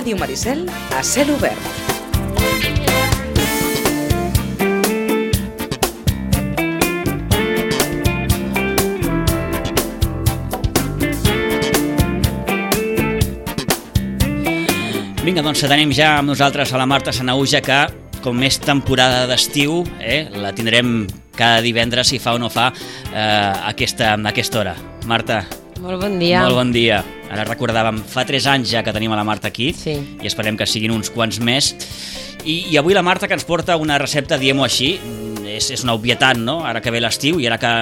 Ràdio Maricel a cel obert. Vinga, doncs tenim ja amb nosaltres a la Marta Sanahuja, que com és temporada d'estiu, la tindrem cada divendres, si fa o no fa, a aquesta hora. Marta. Molt bon dia. Molt bon dia. Ara recordàvem, fa 3 anys ja que tenim a la Marta aquí, sí. I esperem que siguin uns quants més. I avui la Marta, que ens porta una recepta, diguem-ho així, és una obvietat, no? Ara que ve l'estiu i ara que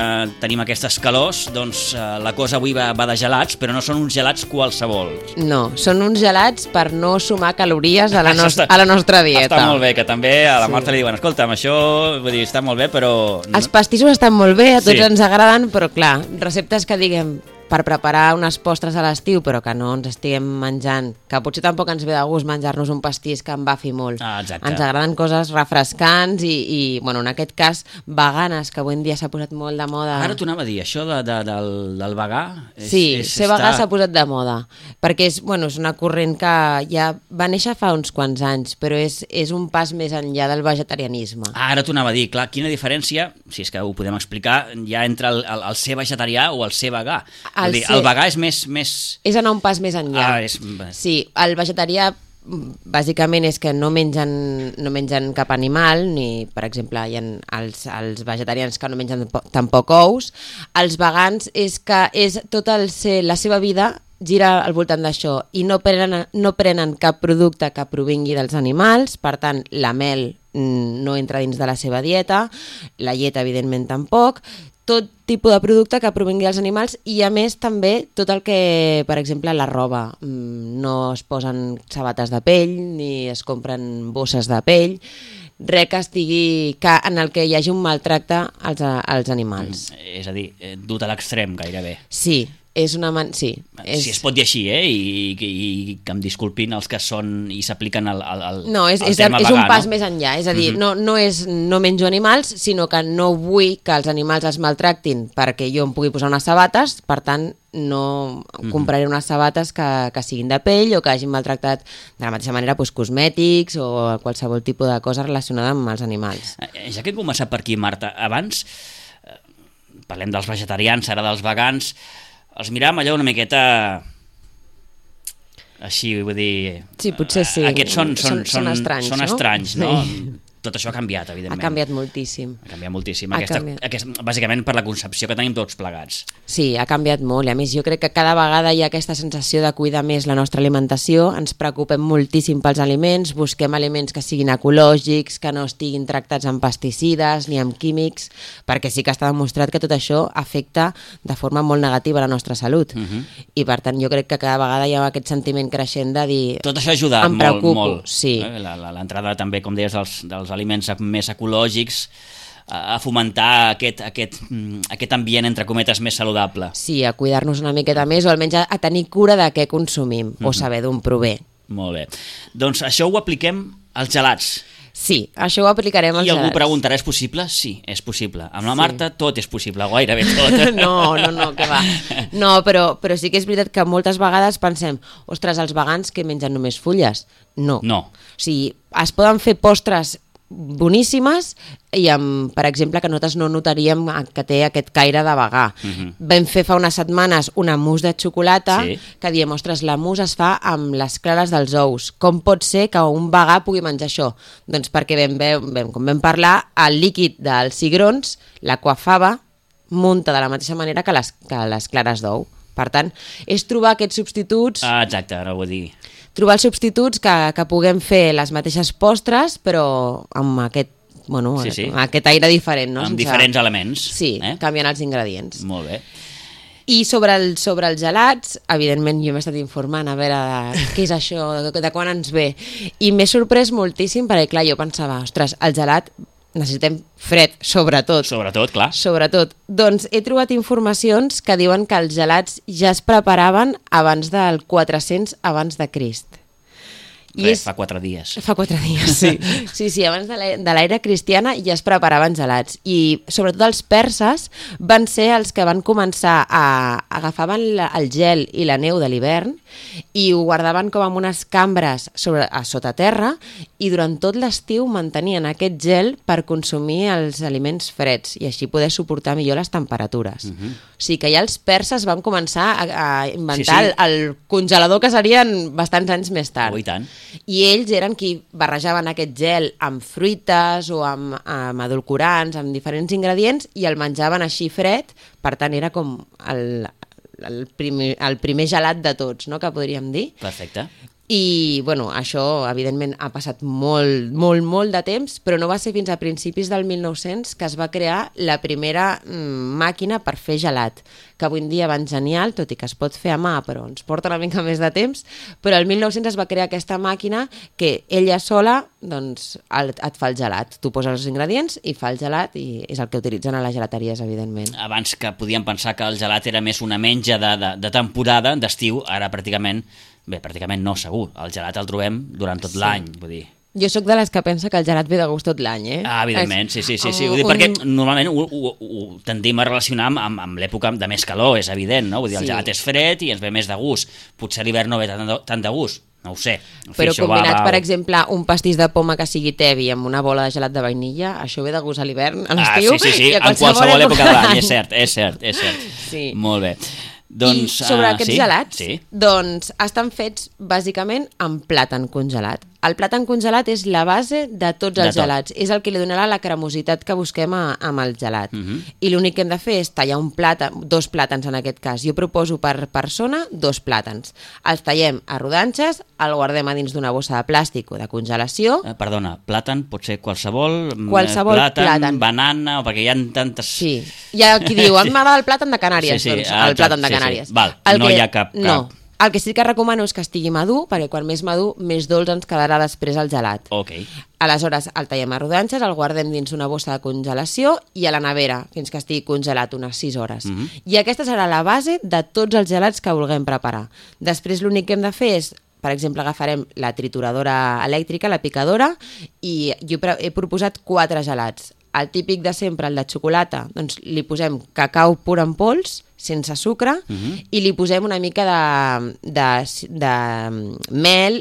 tenim aquestes calors, doncs la cosa avui va de gelats, però no són uns gelats qualsevol. No, són uns gelats per no sumar calories a la nostra dieta. Està molt bé, que també a la Marta li diuen, escolta'm, això vull dir, està molt bé, però... Els pastissos estan molt bé, a tots ens agraden, però clar, receptes que diguem per preparar unes postres a l'estiu, però que no ens estiguem menjant, que potser tampoc ens ve de gust menjar-nos un pastís que embafi molt. Exacte. Ens agraden coses refrescants i bueno, en aquest cas, veganes, que avui en dia s'ha posat molt de moda. Ara t'ho anava a dir, això del vegà... Ser vegà s'ha posat de moda, perquè és una corrent que ja va néixer fa uns quants anys, però és un pas més enllà del vegetarianisme. Ara t'ho anava a dir, clar, quina diferència, si és que ho podem explicar, hi ha entre el ser vegetarià o el ser vegà. El vegà és més... És anar un pas més enllà. Sí, el vegetarià bàsicament és que no mengen cap animal, ni, per exemple, hi ha els vegetarians que no mengen tampoc ous. Els vegans és que la seva vida gira al voltant d'això i no prenen cap producte que provingui dels animals, per tant, la mel no entra dins de la seva dieta, la llet, evidentment, tampoc, tot tipus de producte que provingui dels animals i, a més, també tot el que, per exemple, la roba. No es posen sabates de pell ni es compren bosses de pell, res que estigui en el que hi hagi un maltracte als animals. És a dir, dut a l'extrem, gairebé. Sí. És una si es pot dir així, i que em disculpin els que són i s'apliquen al no, és un pas més enllà, és a dir, no menjo animals, sinó que no vull que els animals es maltractin perquè jo em pugui posar unes sabates, per tant no compraré unes sabates que siguin de pell o que hagin maltractat de la mateixa manera cosmètics o qualsevol tipus de cosa relacionada amb els animals. Ja que hem començat per aquí, Marta, abans parlem dels vegetarians, ara dels vegans, els miràvem allò una miqueta així, vull dir... Sí, potser sí. Aquests són estranys, no? Estranys, no? Sí. Tot això ha canviat, evidentment. Ha canviat moltíssim. Bàsicament per la concepció que tenim tots plegats. Sí, ha canviat molt. I a més, jo crec que cada vegada hi ha aquesta sensació de cuidar més la nostra alimentació, ens preocupem moltíssim pels aliments, busquem aliments que siguin ecològics, que no estiguin tractats amb pesticides ni amb químics, perquè sí que està demostrat que tot això afecta de forma molt negativa la nostra salut. I per tant, jo crec que cada vegada hi ha aquest sentiment creixent de dir... Tot això ha ajudat molt. Sí. L'entrada també, com deies, dels aliments més ecològics, a fomentar aquest ambient, entre cometes, més saludable. Sí, a cuidar-nos una miqueta més, o almenys a tenir cura de què consumim, o saber d'on prové. Molt bé. Doncs això ho apliquem als gelats. Sí, això ho aplicarem als gelats. I algú preguntarà, és possible? Sí, és possible. Amb la Marta tot és possible, gairebé tot. No, que va. No, però sí que és veritat que moltes vegades pensem, ostres, els vegans que mengen només fulles? No. O sigui, es poden fer postres boníssimes i per exemple que nosaltres no notaríem que té aquest caire de vegà. Vam fer fa unes setmanes una mousse de xocolata que diem, ostres, la mousse es fa amb les clares dels ous. Com pot ser que un vegà pugui menjar això? Doncs perquè com vam parlar, el líquid dels cigrons, la coafava, munta de la mateixa manera que les clares d'ou. Per tant, és trobar aquests substituts... Exacte, ara ho vull dir. Trobar els substituts que puguem fer les mateixes postres, però amb aquest aire diferent. No? Amb diferents elements. Sí, canviant els ingredients. Molt bé. I sobre els gelats, evidentment jo m'he estat informant a veure què és això, de quan ens ve. I m'he sorprès moltíssim perquè, clar, jo pensava, ostres, el gelat necessitem fred, sobretot. Clar. Sobretot. Doncs he trobat informacions que diuen que els gelats ja es preparaven abans del 400 abans de Crist. Fa 4 dies. Fa 4 dies, sí. Sí, abans de l'era cristiana ja es preparaven gelats. I sobretot els perses van ser els que van començar agafaven el gel i la neu de l'hivern i ho guardaven com en unes cambres a sota terra i durant tot l'estiu mantenien aquest gel per consumir els aliments freds i així poder suportar millor les temperatures. O sigui que ja els perses van començar a inventar el congelador que serien bastants anys més tard. I tant. I ells eren qui barrejaven aquest gel amb fruites o amb edulcorants, amb diferents ingredients i el menjaven així fred, per tant era com el primer gelat de tots, no?, que podríem dir. Perfecte. I, bueno, això, evidentment, ha passat molt de temps, però no va ser fins a principis del 1900 que es va crear la primera màquina per fer gelat, que avui en dia van genial, tot i que es pot fer a mà, però ens porta una mica més de temps, però el 1900 es va crear aquesta màquina que ella sola, doncs, et fa el gelat. Tu poses els ingredients i fa el gelat i és el que utilitzen a les gelateries, evidentment. Abans que podíem pensar que el gelat era més una menja de temporada, d'estiu, ara pràcticament no, segur. El gelat el trobem durant tot l'any, vull dir. Jo sóc de les que pensa que el gelat ve de gust tot l'any, eh? Ah, evidentment, sí. Ho dic perquè normalment ho tendim a relacionar amb l'època de més calor, és evident, no? Vull dir, el gelat és fred i ens ve més de gust. Potser a l'hivern no ve tant de gust, no ho sé. Però combinat, per exemple, un pastís de poma que sigui tevi amb una bola de gelat de vainilla, això ve de gust a l'hivern, a l'estiu... Sí, en qualsevol època de l'any, és cert. Sí. Molt bé. Doncs, i sobre aquests gelats, doncs estan fets bàsicament amb plàtan congelat. El plàtan congelat és la base de tots els gelats, és el que li donarà la cremositat que busquem amb el gelat. I l'únic que hem de fer és tallar dos plàtans en aquest cas. Jo proposo per persona 2 plàtans. Els tallem a rodanxes, el guardem a dins d'una bossa de plàstic o de congelació. Perdona, plàtan pot ser qualsevol plàtan, banana, o perquè hi ha tantes... Sí, hi ha qui diu, a mi m'agrada el plàtan de Canàries, doncs el plàtan de Canàries. Val, no hi ha cap... No. El que sí que recomano és que estigui madur, perquè quan més madur, més dolç ens quedarà després el gelat. Ok. Aleshores, el tallem a rodanxes, el guardem dins una bossa de congelació i a la nevera, fins que estigui congelat unes 6 hores. I aquesta serà la base de tots els gelats que vulguem preparar. Després l'únic que hem de fer és, per exemple, agafarem la trituradora elèctrica, la picadora, i jo he proposat 4 gelats. El típic de sempre, el de xocolata, doncs li posem cacau pur en pols, sense sucre, i li posem una mica de mel,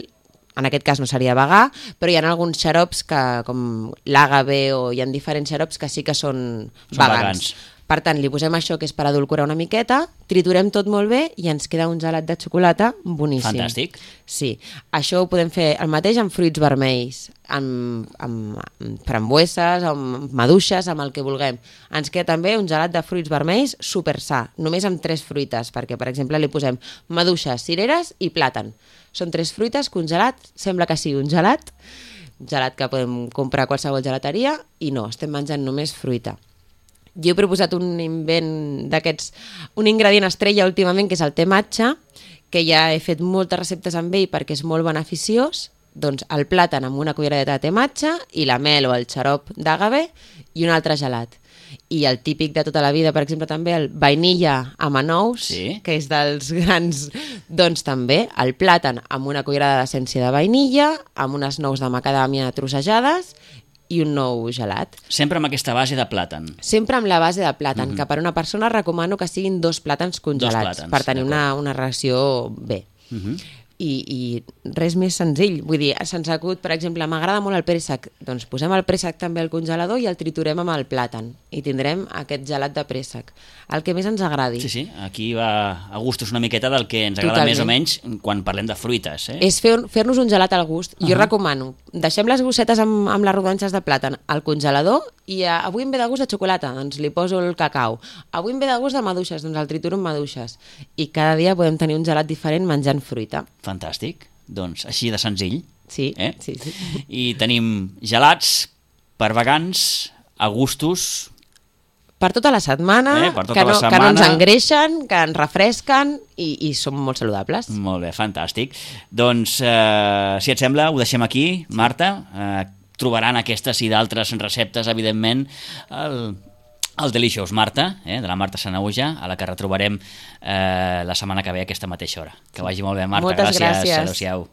en aquest cas no seria vegà, però hi ha alguns xarops com l'àgave o hi ha diferents xarops que sí que són vegans. Per tant, li posem això, que és per adulcorar una miqueta, triturem tot molt bé i ens queda un gelat de xocolata boníssim. Fantàstic. Sí, això ho podem fer el mateix amb fruits vermells, amb frambueses, amb maduixes, amb el que vulguem. Ens queda també un gelat de fruits vermells super sa, només amb 3 fruites, perquè, per exemple, li posem maduixes, cireres i plàtan. Són 3 fruites, congelat, sembla que sigui un gelat que podem comprar a qualsevol gelateria, i no, estem menjant només fruita. Jo he proposat un invent d'aquests, un ingredient estrella últimament, que és el te matcha, que ja he fet moltes receptes amb ell perquè és molt beneficiós. Doncs el plàtan amb una culleradeta de te matcha i la mel o el xarop d'àgave i un altre gelat. I el típic de tota la vida, per exemple, també el vainilla amb anous, que és dels grans, doncs també el plàtan amb una cullerada d'essència de vainilla, amb unes nous de macadàmia trossejades i un nou gelat. Sempre amb aquesta base de plàtan. Sempre amb la base de plàtan, que per una persona recomano que siguin 2 plàtans congelats, per tenir una ració bé. I res més senzill. Vull dir, sense acut, per exemple, m'agrada molt el préssec, doncs posem el préssec també al congelador i el triturem amb el plàtan i tindrem aquest gelat de préssec, el que més ens agradi. Sí, aquí va a gustos una miqueta del que ens agrada més o menys quan parlem de fruites. És fer-nos un gelat al gust. Jo recomano, deixem les gossetes amb les rodanxes de plàtan al congelador i avui em ve de gust de xocolata, doncs li poso el cacau. Avui em ve de gust de maduixes, doncs el trituro amb maduixes. I cada dia podem tenir un gelat diferent menjant fruita. Fantàstic, doncs així de senzill. Sí. I tenim gelats per vegans, a gustos... Per tota la setmana, que no ens engreixen, que ens refresquen i són molt saludables. Molt bé, fantàstic. Doncs, si et sembla, ho deixem aquí, Marta. Trobaran aquestes i d'altres receptes, evidentment, el Delicious Marta, de la Marta Sanaüja, a la que retrobarem la setmana que ve a aquesta mateixa hora. Que vagi molt bé, Marta. Moltes gràcies. Adéu-siau.